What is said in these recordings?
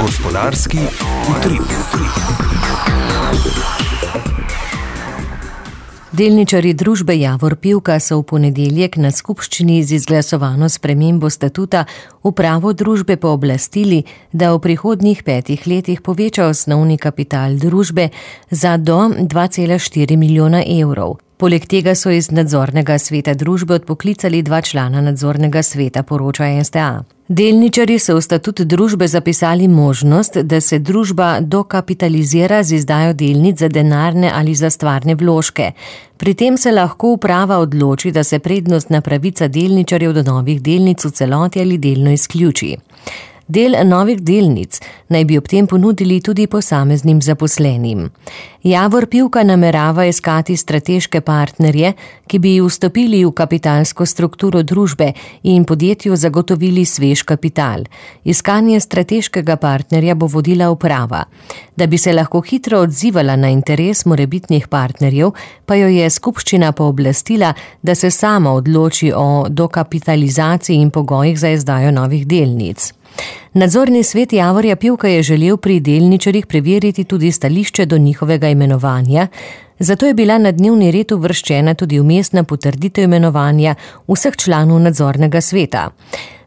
Gospodarski utrip. Delničarji družbe Javor Pivka so v ponedeljek na skupščini z izglasovano spremembo statuta upravo družbe pooblastili, da v prihodnjih 5 letih poveča osnovni kapital družbe za do 2,4 milijona evrov. Poleg tega so iz nadzornega sveta družbe odpoklicali 2 člana nadzornega sveta, poroča STA. Delničarji so v statut družbe zapisali možnost, da se družba dokapitalizira z izdajo delnic za denarne ali za stvarne vložke. Pri tem se lahko uprava odloči, da se prednostna pravica delničarjev do novih delnic v celoti ali delno izključi. Del novih delnic naj bi ob tem ponudili tudi posameznim zaposlenim. Javor Pivka namerava iskati strateške partnerje, ki bi vstopili v kapitalsko strukturo družbe in podjetju zagotovili svež kapital. Iskanje strateškega partnerja bo vodila uprava. Da bi se lahko hitro odzivala na interes morebitnih partnerjev, pa jo je skupščina pooblastila, da se sama odloči o dokapitalizaciji in pogojih za izdajo novih delnic. Nadzorni svet Javorja Pivka je želel pri delničarjih preveriti tudi stališče do njihovega imenovanja, zato je bila na dnevni red uvrščena tudi vmesna potrditev imenovanja vseh članov nadzornega sveta.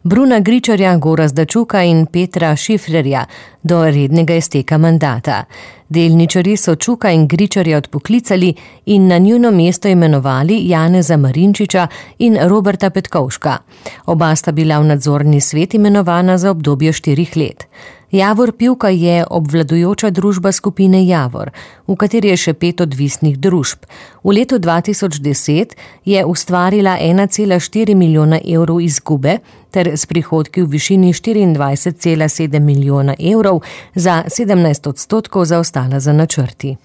Bruna Gričarja, Gorazda Čuka in Petra Šifrerja do rednega izteka mandata. Delničarji so Čuka in Gričarja odpoklicali in na njuno mesto imenovali Janeza Marinčiča in Roberta Petkovška. Oba sta bila v nadzorni svet imenovana za obdobje 4 let. Javor Pivka je obvladujoča družba skupine Javor, v kateri je še 5 odvisnih družb. V letu 2010 je ustvarila 1,4 milijona evrov izgube ter s prihodki v višini 24,7 milijona evrov za 17% zaostala za načrti.